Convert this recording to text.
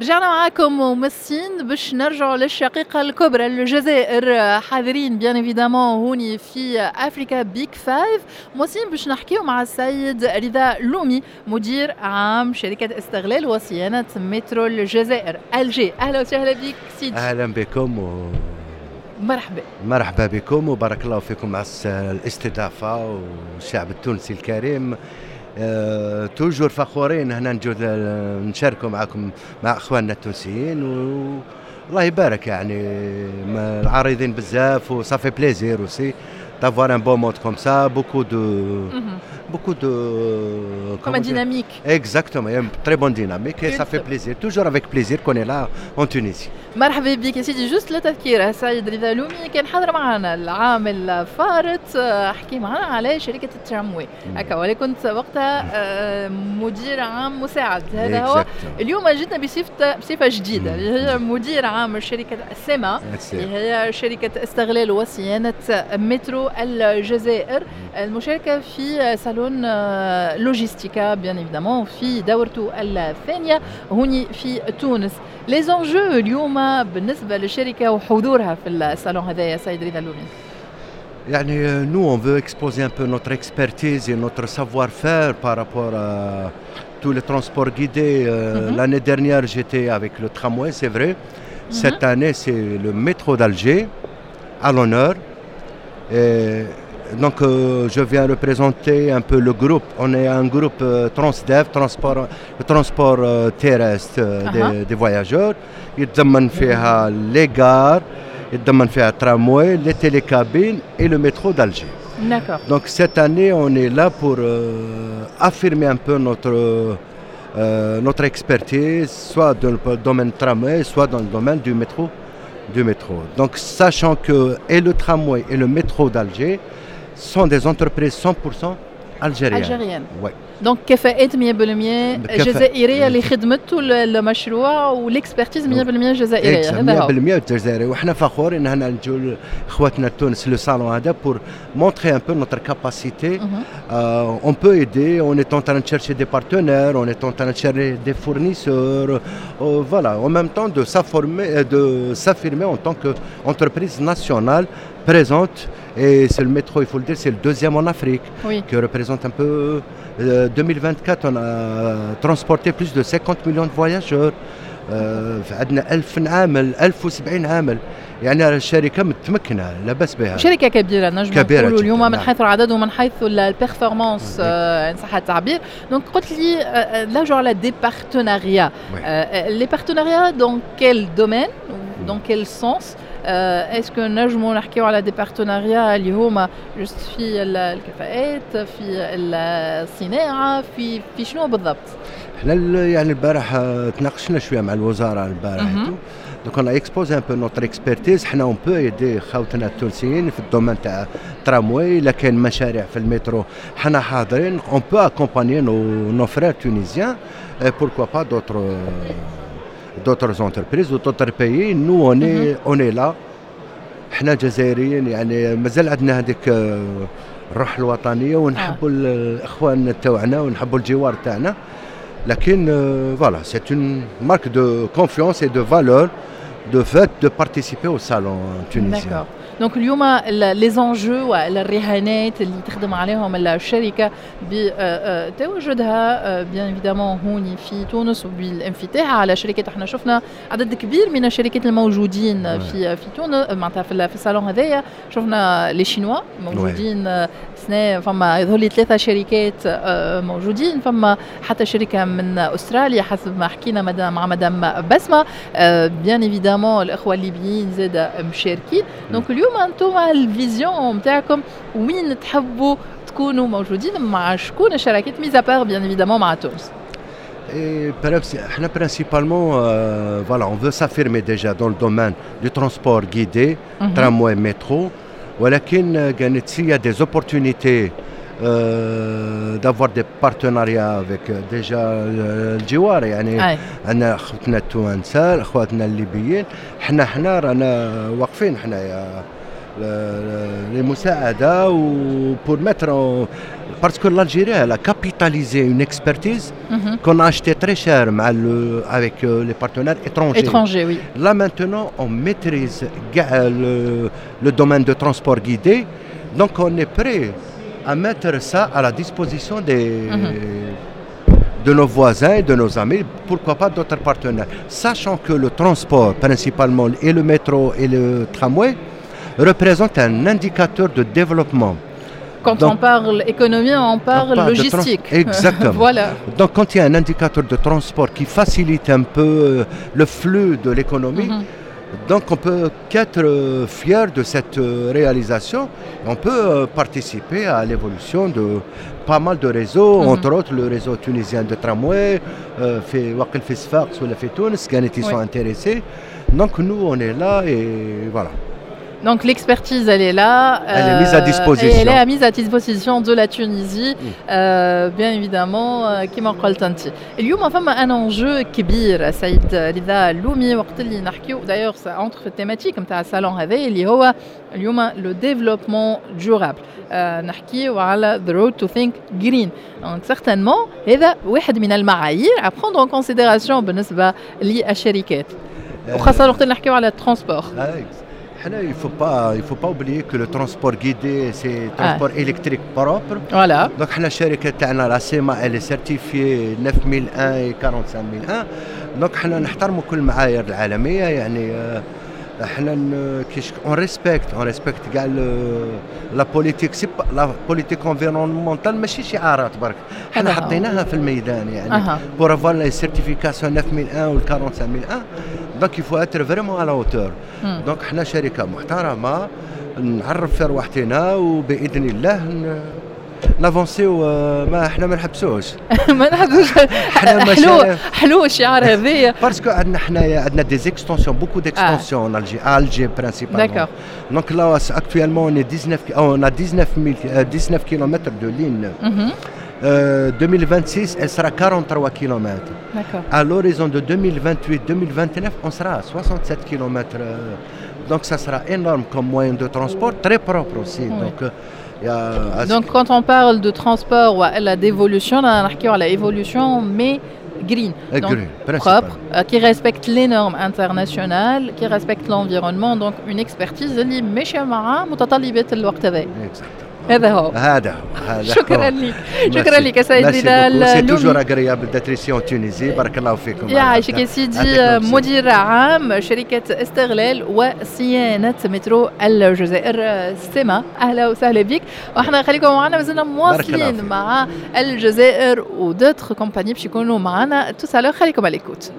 رجعنا معاكم ومسين باش نرجعوا للشقيقة الكبرى الجزائر، حاضرين bien évidemment هوني في Africa Big Five. موسين باش نحكيو مع السيد رضا لومي، مدير عام شركة استغلال وصيانة مترو الجزائر Alger. أهلا وسهلا بك سيدي. أهلا بكم مرحبا. مرحبا بكم وبارك الله فيكم على الاستضافة والشعب التونسي الكريم. Toujours فخورين هنا نجو نشاركوا معكم مع اخواننا التونسيين، والله يبارك، يعني العارضين بزاف و ça fait plaisir aussi d'avoir un beau monde comme ça, beaucoup de comme dynamique. Exactement, il y a une très bonne dynamique et ça fait plaisir, toujours avec plaisir qu'on est là en Tunisie. مرحبا بك يا سيدي. juste للتذكير، السيد رضا لومي كان حاضر معنا العام الفارط، حكي معنا على شركة التراموي هكا، ولا كنت وقتها مدير عام مساعد. هذا هو. اليوم جيتنا بصفة جديدة اللي هي مدير عام شركة السما، اللي هي شركة استغلال وصيانة مترو الجزائر، المشاركة في صالون Logistica bien évidemment في دورته الثانية هوني في تونس. les enjeux اليوم بالنسبة للشركة وحضورها في الصالون هذايا، سيد رضا اللومي؟ يعني nous on veut exposer un peu notre expertise et notre savoir-faire par rapport à tous les transports guidés. L'année dernière, j'étais avec le tramway, c'est vrai. Cette année, c'est le métro d'Alger à l'honneur. Et donc, je viens représenter un peu le groupe. On est un groupe Transdev, transport, le transport terrestre des voyageurs. يتضمن فيها les gares، يتضمن فيها tramway, les télécabines et le métro d'Alger. Donc cette année, on est là pour affirmer un peu notre expertise, soit dans le domaine tramway, soit dans le domaine du métro. Du métro. Donc sachant que et le tramway et le métro d'Alger sont des entreprises 100% algériennes. Algériennes. Ouais. Donc كفاءات 100% جزائرية اللي خدمته المشروع، وال expertise 100% جزائريه. هذا هو، 100% جزائريه، وحنا فخورين ان هنا نجوا اخواتنا التونس le salon هذا pour montrer un peu notre capacité. On peut aider, on est en train de chercher des partenaires, on est en train de chercher des fournisseurs, voilà, en même temps de s'affirmer en tant qu'entreprise nationale présente. Et c'est le métro, il faut le dire, c'est le deuxième en Afrique, qui représente un peu 2024, on a transporté plus de 50 millions de voyageurs. عندنا 1000 عامل، 1070 عامل، يعني الشركة متمكنه، لا باس بها. شركة كبيرة نجم كبيرة نقولوا اليوم من حيث العدد ومن حيث ال performance ان صح التعبير. donc قلت لي là على des partenariats، les partenariats dans quel domaine، dans quel sens؟ est-ce que نجموا نحكيو على des partenariats اللي هما juste في الكفاءات، في الصناعه، في شنو بالضبط؟ احنا يعني البارح تناقشنا شوية مع الوزارة البارح، donc on a exposé un peu notre expertise. حنا on peut aider خاوتنا التونسيين في ال domaine تاع ترامواي. الا كاين مشاريع في المترو حنا حاضرين، on peut accompagner nos frères tunisiens, pourquoi pas d'autres entreprises ou d'autres pays. Nous on est là. حنا جزائريين، يعني مازال عندنا هذيك الروح الوطنية ونحبوا الاخوان تاعنا ونحبوا الجوار تاعنا، لكن voilà, c'est une marque de confiance et de valeur de fait de participer au salon tunisien. D'accord. donc اليوم les enjeux والرهانات اللي تخدم عليهم الشركة بتواجدها bien évidemment هوني في تونس وبالانفتاح على شركات، احنا شفنا عدد كبير من الشركات الموجودين في تونس، معناتها في الصالون هذايا شفنا les Chinois موجودين سنة، فما يظهر لي ثلاثة شركات موجودين، فما حتى شركة من استراليا حسب ما حكينا مع مدام بسمه، bien évidemment الاخوة الليبيين زاد مشاركين. donc اليوم انتم ال vision نتاعكم وين تحبوا تكونوا موجودين، مع شكون الشراكات، mis à part bien évidemment مع تونس؟ Et احنا principalement, voilà, on veut s'affirmer déjà dans le domaine du transport guidé, tramway, métro. ولكن كانت s'il y a des opportunités d'avoir des partenariats avec déjà الجوار، يعني عندنا اخوتنا التوانسه، اخواتنا الليبيين، حنا رانا واقفين حنايا للمساعدة و pour mettre Parce que l'Algérie, elle a capitalisé une expertise qu'on a achetée très cher avec les partenaires étrangers. Étrangers, oui. Là maintenant, on maîtrise le domaine de transport guidé. Donc on est prêt à mettre ça à la disposition de nos voisins et de nos amis, pourquoi pas d'autres partenaires. Sachant que le transport, principalement, et le métro et le tramway, représentent un indicateur de développement. Quand Donc, on parle économie, on parle de logistique. Exactement. Voilà. Donc quand il y a un indicateur de transport qui facilite un peu le flux de l'économie, donc on peut qu'être fier de cette réalisation. On peut participer à l'évolution de pas mal de réseaux, entre autres le réseau tunisien de tramway, في وقت في صفاقس ولا في تونس كانت ils sont intéressés. Donc nous on est là et voilà. Donc l'expertise, elle est là. Elle est mise à disposition. Et elle est mise à disposition de la Tunisie, bien évidemment, كما قلت أنت. اليوم فما un enjeu كبير سيد رضا اللومي وقت اللي نحكيو، d'ailleurs ça entre في ال thématique نتاع الصالون هذا اللي هو اليوم le développement durable. نحكيو على the road to think green. Donc certainement هذا واحد من المعايير à prendre en considération بالنسبة للشركات. وخاصة وقت اللي نحكيو على ال transport. حنا il faut pas oublier que le transport guidé, c'est transport électrique propre. Voilà. Donc حنا الشركة تاعنا la SEMA, elle est certifiée 9001 et 45001. Donc حنا نحترموا كل المعايير العالمية، يعني احنا كيش on respecte كاع la politique, c'est la politique environnementale، ماشي شعارات برك، حنا هذا هو. حطيناها في الميدان يعني pour avoir les certifications 9001 و 45001, donc il faut être vraiment à la hauteur. Donc حنا شركه محترمه نعرف في رواحتنا وباذن الله نافونسيو، ما احنا ما نحبسوش. ما نحبسوش. حنا حلو حلو الشعار هذايا. Parce que عندنا حنايا عندنا des extensions, beaucoup d'extensions en Alger, à Alger principalement. Donc là, actuellement, on est 19, on a 19 000, 19 km de ligne. 2026, elle sera 43 km. À l'horizon de 2028-2029, on sera à 67 km. Donc ça sera énorme comme moyen de transport, très propre aussi. Donc, il y a, Donc quand on parle de transport ou d'évolution, on a l'évolution, mais green. Donc, green, propre, qui respecte les normes internationales, qui respecte l'environnement, donc une expertise اللي ماشية مع متطلبات الوقت هذا. Exactement. هذا هو. هذا هو، هذا. شكرا لك، شكرا لك سيد رضا. C'est toujours agréable d'être ici en Tunisie. بارك الله فيكم. يعيشك يا سيدي، مدير عام شركة استغلال وصيانة مترو الجزائر سما، اهلا وسهلا بك. واحنا خليكم معنا، مازلنا مواصلين مع الجزائر و d'autres compagnies باش يكونوا معنا tout à l'heure. خليكم à l'écoute.